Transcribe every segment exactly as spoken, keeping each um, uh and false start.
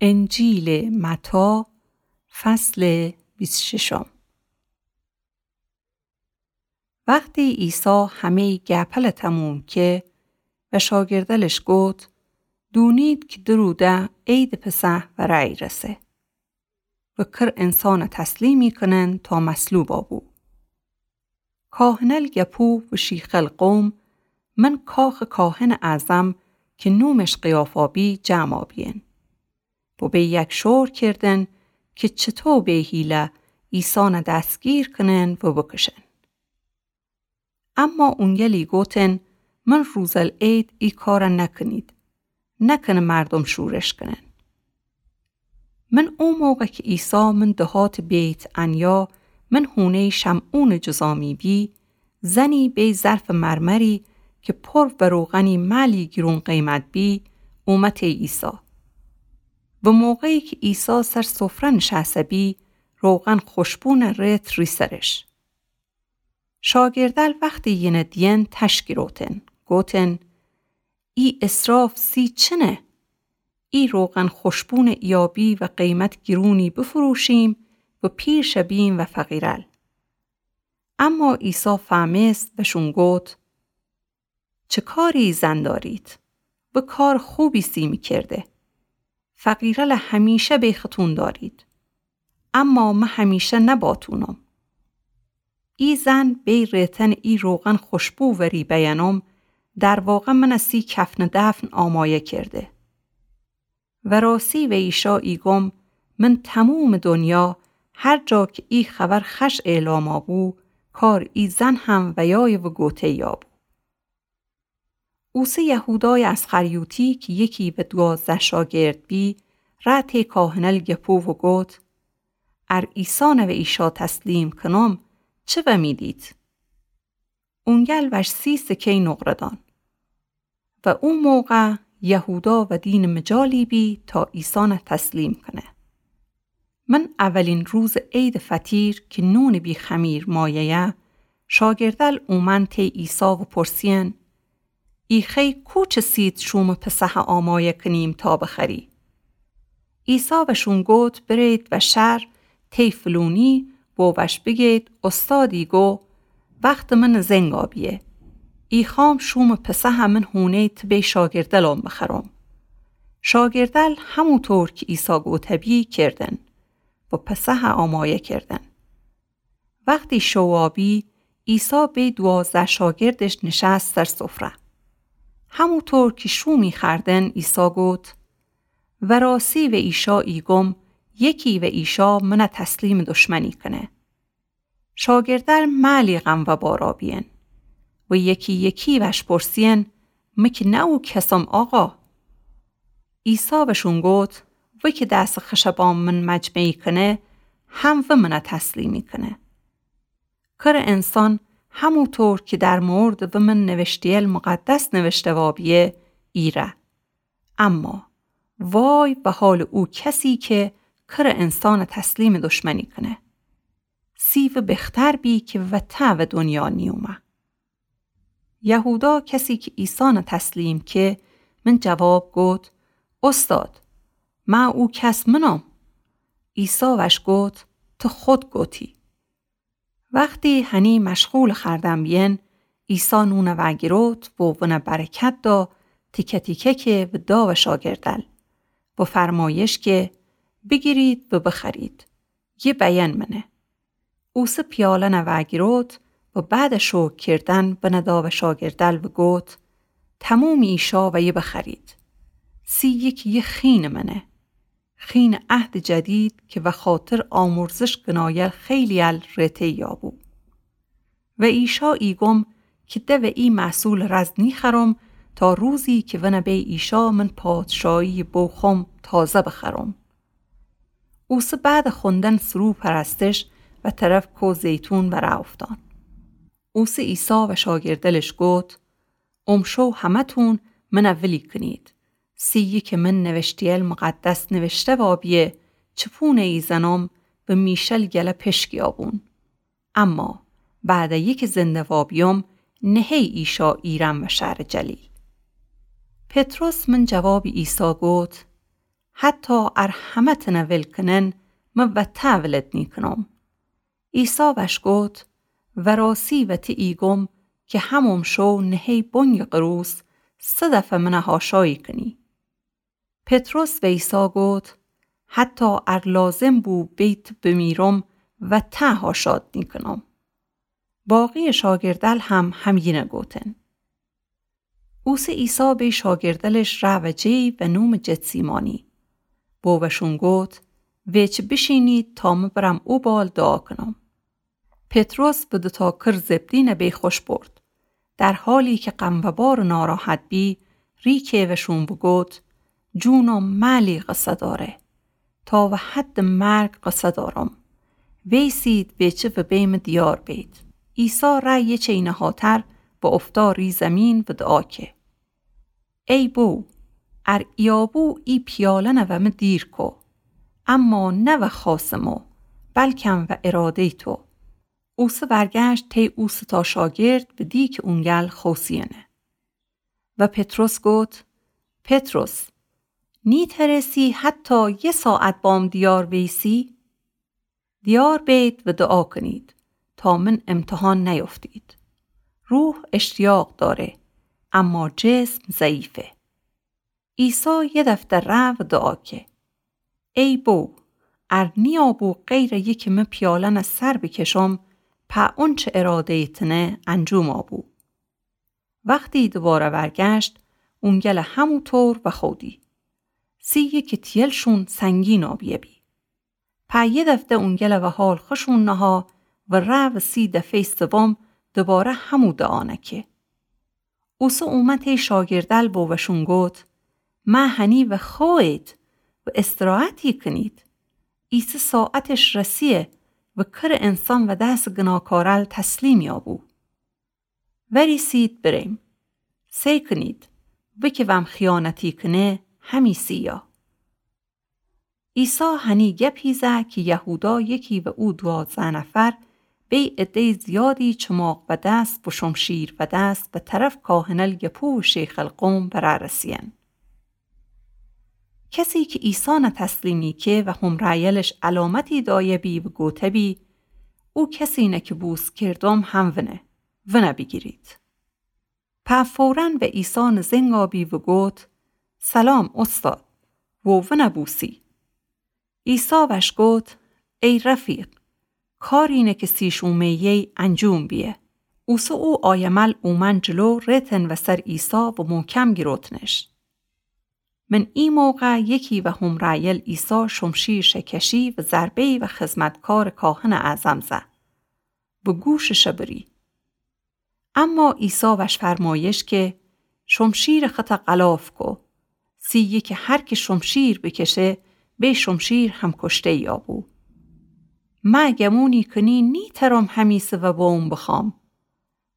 انجیلٚ متی، فصلٚ بیست ششم. وختی عیسی همه‌یٚ گپل تموم که و شاگردلش گفت: دونید که دو روده عیدٚ پسح ورأ ایرسه و کر انسان تسلیمی کنن تا مصلوبا بو. کاهنل گپو و شیخل قوم من کاخٚ کاهنٚ اعظم که نومش قیافا بی جمعا بیین. و به یک شور کردن که چطو به حیله عیسان دستگیر کنن و بکشن. اما اونگلی گوتن: من روزل عید ای کار نکنید، نکنه مردم شورش کنن. من او موقع که عیسی من دهات بیت عنیا، من هونه‌یٚ شمعونٚ جذامی بی، زنی بی ظرفٚ مرمری که پر و روغنی مالی گرون قیمت بی، اومه تی عیسی. و موقعی که عیسی سر سفره نشسته بی، روغن خوشبو نرت ری سرش. شاگردل وختی ینه دین تشگیروتن، گوتن: ای اسراف سی چنه؟ ای روغن خوشبون ایابی و قیمت گرونی بفروشیم و پیرش بیم و فقیرل. اما عیسی فهمست و شون گوت: چه کاری زن دارید؟ و کار خوبی سی می کرده. فقیرل همیشه به ختون دارید، اما مه همیشه نباتونم. ای زن بی ریتن ای روغن خوشبو وری بیانم، در واقع من سی کفن دفن آمایه کرده. و راستی و ایشا ایگم، من تموم دنیا هر جا که ای خبر خش اعلاما بو، کار ای زن هم ویای و گوته یا بو. اوسه یهودای اسخریوطی که یکی و دوازده شاگرد بی، رأ تی کاهنل گپو و گوت: ار عیسان و ایشا تسلیم کنم، چه و می دید؟ اونگل وش سی سکه‌یٚ نقره دان. و او موقع یهودا و دینٚ مجالی بی تا عیسان تسلیم کنه. من اولین روزٚ عیدٚ فطیر که نونٚ بی خمیر مایه‌یه، شاگردل اومن تی عیسی و پرسین: ای خوی کوچه سید شومٚ پسحه آمایه کنیم تا بخری؟ عیسی وشون گوت: برید و شهر تی فلونی و وش بگید: استادی گو وختٚ من زنگا بیه. ای خوام شومٚ پسحه من هونه‌یٚ تبی شاگردلان بخرم. شاگردل هموطور که عیسی گوته بی کردن و پسحه آمایه کردن. وختی شوا بی، عیسی بی دوازده شاگردش نشست سر سفره. هموطور که شومی خوردن، عیسی گوت: و راستی و ایشا ایگم، یکی و ایشا من تسلیمٚ دشمنی کنه. شاگردل مالی غم و بارا بیین و یکی یکی وش پرسین: مه که نه او کسم آقا؟ عیسی وشون گوت: و که دس خش بام من مجمعی کنه، هم و من تسلیمی کنه. کر انسان هموطور که در موردٚ و من نوشته‌یل مقدس نوشته وا بیه، ایره. اما وای و حالٚ او کسی که کر انسان تسلیمٚ دشمنی کنه. سی و بختر بی که وته و دنیا نیومه. یهودا کسی که عیسان تسلیم که، من جواب گوت: استاد، مه او کس منم. عیسی وش گوت: تو خود گوتی. وختی هنی مشغولٚ خوردن بیین، عیسی نون وأگیروت و ون برکت دا، تیکه تیکه که و دا و شاگردل و فرمایش که: بگیرید و بخورید، یه بیان منه. اوسه پیالن وأگیروت و بعدٚ شکر کردن ون دا و شاگردل و گوت: تموم ایشا و یه بخورید. سی یکی یه خینٚ منه. خینٚ عهدٚ جدید که وخاطر آمرزش گنایل خیلیل ریته یا بو. و ایشا ایگم که ده و ای محصولٚ رز نیخورم تا روزی که ون بی ایشا من پادشاهیٚ بوخوم تازه بخورم. اوسه بعدٚ خوندن سرو پرستش و طرف کوه زیتون برأوفتان. اوسه عیسی و شاگردلش گوت: امشو همه‌تون من ولی کنید. سی یکی من نوشته‌یل مقدس نوشته وا بیه: چپونٚ ای زنم و میشل گله پشکی آبون. اما بعدٚ یکی زنده وا بیوم، نهی ایشا ایرم و شهرٚ جلیل. پطرس من جوابٚ عیسی گوت: حتی ار همه تنه ول کنن، من وته ولد نیکنم. عیسی وش گفت: وراسی وته ایگم که همم شو نهه بنگ قروس سه دفه منه حاشایی کنی. پطرس و عیسی گفت: حتی ار لازم بو بیت بمیرم، وته حاشات نیکنم. باقی شاگردل هم همینه گوتن. اوسه عیسی بی شاگردلش روه جی و نوم جتسیمانی. بو وشون گوت: ویچ بشینید تا مه برم او بال دعا کنم. پطرس و دوتا کر زبدینه بی خوش برد. در حالی که غم و بار ناراحت بی، ریکه وشون بگوت: جونم مالی قصه داره. تا و حد مرگ قصه دارم. ویسید ویچه و بیم دیار بید. عیسی ره یه چینه هاتر و افتا ری زمین و دعا که: ای بو، ار ایابو ای پیالنه و مه دیر کو. اما نه و خواس مو، بلکم و اراده تو. اوسه ورگشت تی او ستا شاگرد و دی که اونگل خوسینه. و پطرس گوت: پطرس، نیترسی حتی یه ساعت بام دیار ویسی؟ دیار بید و دعا کنید تا من امتحان نیفتید. روح اشتیاق داره، اما جسم ضعیفه. عیسی یه دفعه ره و دعا که: ای بو، ار نیابو غیر یکی مه پیالنه سر بکشم، په اونچه اراده تنه انجوم آبو. وختی دوباره ورگشت، اونگل همو طور و خودی. سی یکی تیلشون سنگین آبیه بی. په یه دفعه اونگل و حال خشون نها و ره و سی دفعه سوم دوباره همو دعانه که. اوسه اومه تی شاگردل بو وشون گوت: مه هنی و خوید و استراحتی کنید. ایسه ساعتش رسیه و کر انسان و دس گناکارل تسلیم یابو. وریسید بریم. سی کنید، وکی وم خیانتی کنه، همی سیا. عیسی هنی گپی زه که یهودا یکی و او دوازده نفر بی عده‌ی زیادی چماق و دست و شمشیر و دست و طرف کاهنل گپو و شیخ القوم برارسین. کسی که عیسی نه تسلیمی که و همرأیلش علامتی دایه بی و گوته بی: او کسی نه که بوس کردم هم ونه، ونه بیگیرید. په فوراً و عیسی نزنگ آبی و گوت: سلام استاد، و ونه بوسی. عیسی وش گوت: ای رفیق، کاری نه که سیش اومه‌یی انجوم بیه. اوسه او آیمل اومن جلو، ریتن و سر عیسی و محکم گیروتنش. من ای موقع یکی و همرأیل عیسی شمشیرش کشی و ضربه‌ی و خدمتکار کاهن اعظم زه و گوشش بری. اما عیسی وش فرمایش که: شمشیر خطه غلاف کو. سی یکی هر که شمشیر بکشه، بی شمشیر هم کشته یابو. مه گمونی کنی نیترم همیسه و بوم بخوام.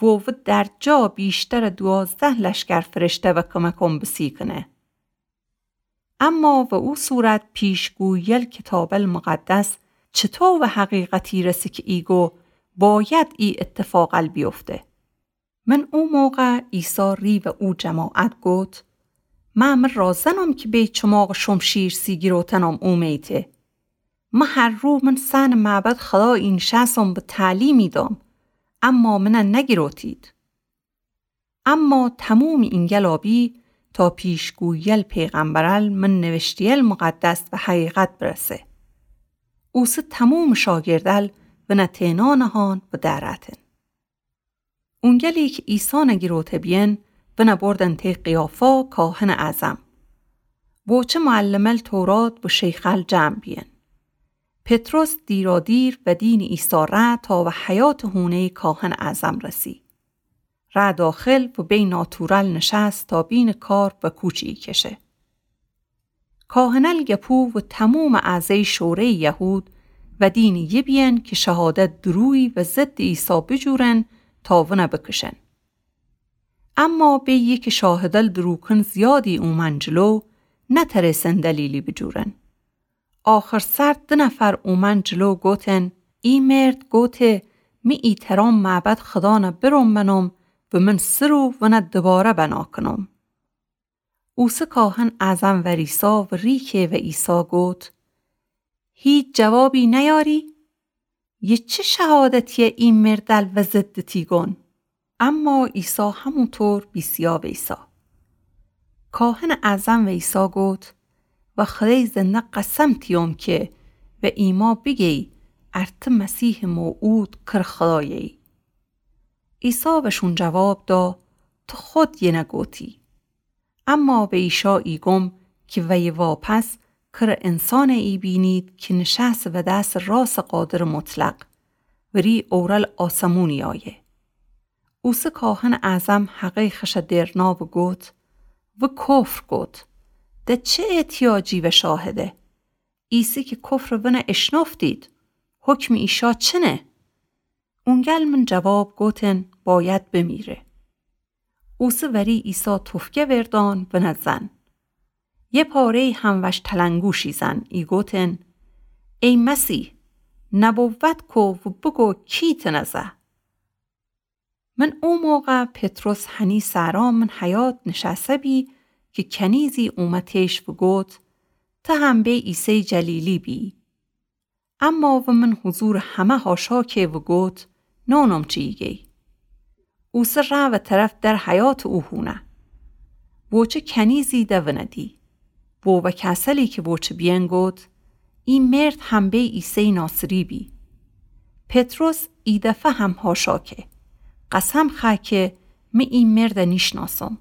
و و در جا بیشتر دوازده لشکر فرشته و کمکم بسی کنه. اما و او صورت پیشگوییل کتابل مقدس چطو و حقیقتی رسه که ایگو باید ای اتفاقل بیفته؟ من او موقع عیسی ری و او جماعت گوت: مه مه رازنم که بی چماق شمشیر سی گیروتنم اومیته. مه هر رو من سن معبد خدا اینشسم و تعلیمی دام، اما منه نگیروتید. اما تموم اینگلا بی تا پیشگوییل پیغمبرل من نوشته‌یل مقدس و حقیقت برسه. اوسه تموم شاگردل ونه تئنا نهان و دأرأتن. اونگلی که عیسی نگیروته بیین، ونه بردن تی قیافا کاهن اعظم. و چه معلمل تورات و شیخل جمع بیین. پطرس دیرا دیر و دین عیسی ره تا و حیاط هونه‌ی کاهن اعظم رسی. ره داخل و بی ناتورل نشست تا بین کار و کوچی کشه. کاهنل گپو و تموم اعضای شورای یهود و دین یه بیین که شهادت درویی و ضد عیسی بجورن تا ونه بکشن. اما بی یکی شاهدل دروکن زیادی اومن جلو، نترسن دلیلی بجورن. آخر سر ده نفر اومن جلو گوتن: ای مرد گوته می ایترام معبد خدانه برم بنم و من سه رو ونه دوباره بنا کنم. اوسه کاهنٚ اعظم وریسا و ریکه و عیسی گوت: هیچ جوابی نیاری؟ یه چه شهادتیه ای مردل و ضد تی گون؟ اما عیسی هموطور بیسیا ویسا. کاهنٚ اعظم ویسا گوت: و خودای زنده قسم تیوم که و ایما بیگی ار ته مسیحٚ موعود کره خودایه‌یی. عیسی وشون جواب دا: تو خود یه نگوتی. اما و ایشا ایگم که ویه واپس کره انسانه‌یی بینید که نشسته و دستٚ راستٚ قادرٚ مطلق و ری اورل آسمونی آیه. اوسه کاهنٚ اعظم حقه خوشَ درنا و گوت: و کفر کوت. ده چه احتیاجی و شاهده؟ ایسه که کفرٚ ونَ اشنفتید، حکمٚ ایشا چنه؟ اونگل من جواب گوتن: باید بمیره. اوسه وری عیسی تفگه وردان ونَ زن. یه پاره‌یی هم وش تلنگوشی زن، ایگوتن: ای مسیح، نبوت کو و بگو کی تنَ زه؟ من او موقع پطرس هنی سرا من حیاط نشسه بی که کنیزی اومتش و گوت: ته هم به عیسیٚ جلیلی بی. اما و من حضورٚ همه حاشا که و گوت: نونم چی ایگی. اوسه ره و طرف در حیاطٚ او هونه. ووچه کنیزی ده ونَ دی. وو و کسلی که ووچه بیین گوت: ای مرد هم به عیسیٚ ناصری بی. پطرس ای دفه هم حاشا که، قسم خأ که می ای مردَ نیشناسم.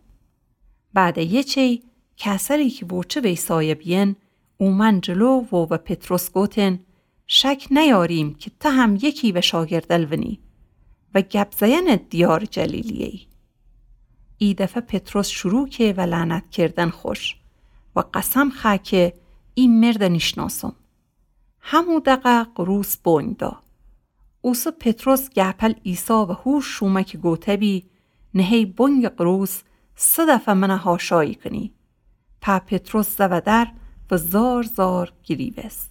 بعدٚ یه چی کسلی که ووچه ویسایه بیین اومن جلو و و پطرس گوتن: شک نیاریم که ته هم یکی و شاگردل ونی و گپ زئنٚ دیارٚ جلیلی‌یی. ای دفه پطرس شروع که و لعنت کردن خوش و قسم خأ که ای مردَ نیشناسم. همو دقه قروس بونگ دا. اوسه پطرس گهپل عیسی و هوش شومه که گوته بی: نهه‌ی بونگٚ قروس سه دفه منَ حاشایی کنی. په پطرس زو در و زار زار گریوست.